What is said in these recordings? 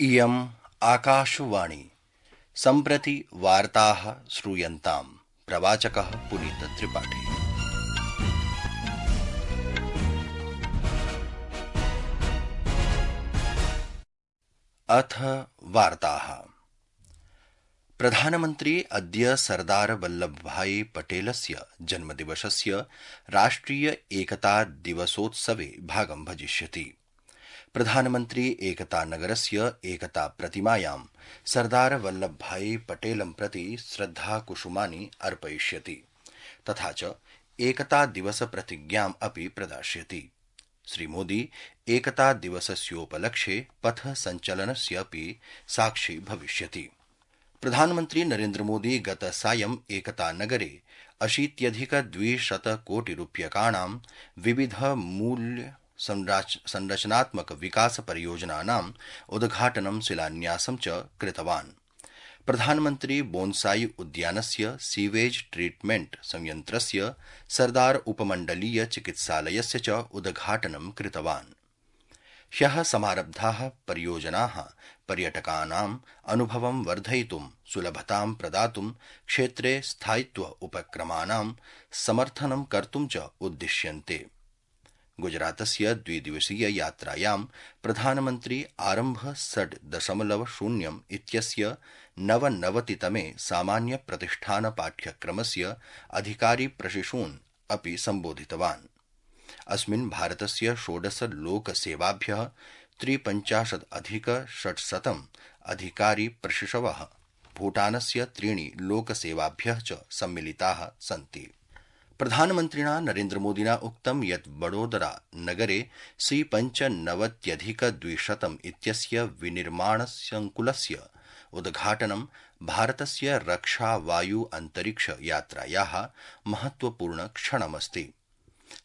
इयम् आकाशवाणी सम्प्रति वार्ताः श्रूयन्ताम्। प्रवाचकः पुनीतत्रिपाठी। अथ वार्ताः। प्रधानमन्त्री अद्य सरदार वल्लभभाई पटेलस्य जन्मदिवसस्य राष्ट्रिय एकता दिवसोत्सवे भागं भजिष्यति। प्रधानमन्त्री एकतानगरस्य एकता प्रतिमायां सरदार वल्लभभाई पटेलं प्रति श्रद्धाकुसुमानि अर्पयिष्यति तथा च एकता दिवस प्रतिज्ञाम् अपि प्रदास्यति। श्रीमोदी एकता दिवसस्योपलक्ष्ये पथ सञ्चलनस्य अपि साक्षी भविष्यति। प्रधानमन्त्री नरेन्द्रमोदी गतसायं एकतानगरे 80,200 कोटिरूप्यकाणां विविध मूल्य संरचनात्मक विकास परियोजनानाम् उद्घाटनं शिलान्यासं च कृतवान्। प्रधानमन्त्री बोन्साई उद्यानस्य सीवेज ट्रीटमेंट संयन्त्रस्य सरदार उपमण्डलीय चिकित्सालयस्य च उद्घाटनं कृतवान्। ह्यः समारब्धाः परियोजनाः पर्यटकानाम् अनुभवं वर्धयितुं, सुलभतां प्रदातुं, क्षेत्रे स्थायित्व उपक्रमाणां समर्थनं कर्तुं च उद्दिश्यन्ते। गुजरातस्य द्विदिवसीय यात्रायां प्रधानमन्त्री आरम्भ 6.0 इत्यस्य 99तमे सामान्य प्रतिष्ठान पाठ्यक्रमस्य अधिकारी प्रशिशून् अपि सम्बोधितवान्। अस्मिन् भारतस्य 16 लोकसेवाभ्यः 53,600 अधिकारी प्रशिशवः, भूटानस्य 3 लोकसेवाभ्यः च सम्मिलिताः सन्ति। प्रधानमन्त्रिणा नरेन्द्रमोदिना उक्तं यत् वडोदरा नगरे C95,200 इत्यस्य विनिर्माणसंकुलस्य उद्घाटनं भारतस्य रक्षा वायु अंतरिक्ष यात्रायाः महत्वपूर्ण क्षणमस्ति।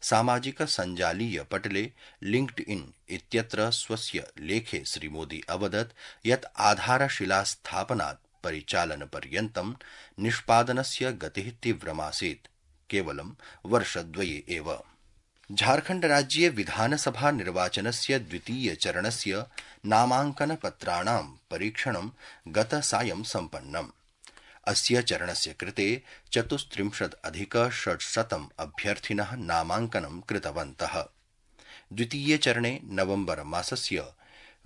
सामाजिक सञ्जालीय पटले लिंक्डइन इत्यत्र स्वस्य लेखे श्रीमोदी अवदत् यत् आधारशिलास्थापनात् परिचालनपर्यन्तं निष्पादनस्य गतिः तीव्रमासीत्, केवलं वर्षद्वये एव। झारखण्डराज्ये विधानसभा निर्वाचनस्य द्वितीय चरणस्य नामाङ्कनपत्राणां परीक्षणं गतसायं सम्पन्नम्। अस्य चरणस्य कृते 34,600 अभ्यर्थिनः नामाङ्कनं कृतवन्तः। द्वितीये चरणे नवम्बर मासस्य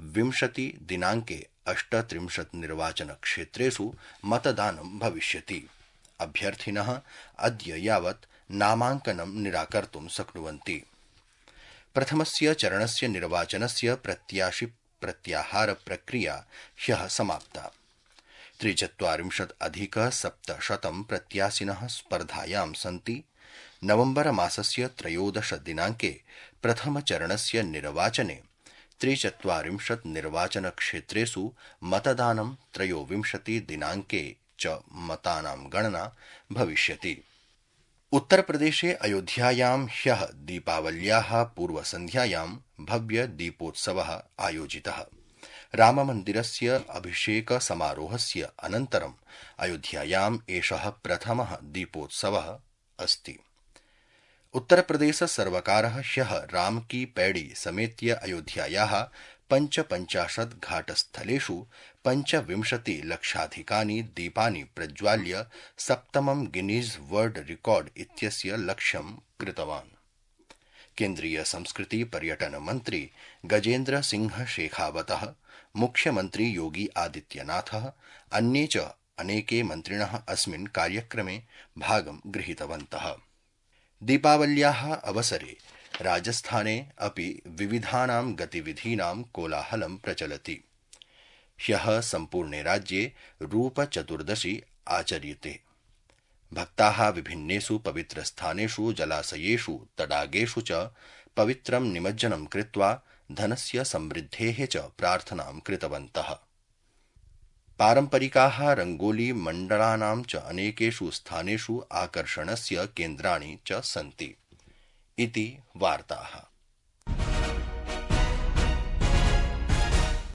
20 दिनाङ्के 38 निर्वाचनक्षेत्रेषु मतदानं भविष्यति। अभ्यर्थिनः अद्य यावत् नामाङ्कनं निराकर्तुं शक्नुवन्ति। प्रथमस्य चरणस्य निर्वाचनस्य प्रत्याशि प्रत्याहार प्रक्रिया ह्यः समाप्ता। 43,700 प्रत्याशिनः स्पर्धायां सन्ति। नवम्बर मासस्य 13 दिनाङ्के प्रथमचरणस्य निर्वाचने 43 निर्वाचनक्षेत्रेषु मतदानं, 23 दिनाङ्के च मतानां गणना भविष्यति। उत्तरप्रदेशे अयोध्यायां ह्यः दीपावल्याः पूर्वसन्ध्यायां भव्य दीपोत्सवः आयोजितः। राममन्दिरस्य अभिषेक समारोहस्य अनन्तरं अयोध्यायाम् एषः प्रथमः दीपोत्सवः अस्ति। उत्तरप्रदेश सर्वकारः ह्यः राम की पैड़ी समेत्य अयोध्यायाः 55 घाटस्थलेषु 25 लक्षाधिकानि दीपानि प्रज्वाल्य सप्तमं गिनीज वर्ल्ड रिकॉर्ड इत्यस्य लक्ष्यं कृतवान्। केन्द्रीय संस्कृति पर्यटन मन्त्री गजेन्द्र सिंह शेखावतः, मुख्यमन्त्री योगी आदित्यनाथः, अन्ये च अनेके मन्त्रिणः अस्मिन् कार्यक्रमे भागं गृहीतवन्तः। दीपावल्याः अवसरे राजस्थाने अपि विविधानां गतिविधीनां कोलाहलं प्रचलति। ह्यः सम्पूर्णे राज्ये रूपचतुर्दशी आचर्यते। भक्ताः विभिन्नेषु पवित्रस्थानेषु, जलाशयेषु, तडागेषु च पवित्रं निमज्जनं कृत्वा धनस्य समृद्धेः च प्रार्थनां कृतवन्तः। पारम्परिकाः रङ्गोली मण्डलानां च अनेकेषु स्थानेषु आकर्षणस्य केन्द्राणि च सन्ति। इति वार्ताः।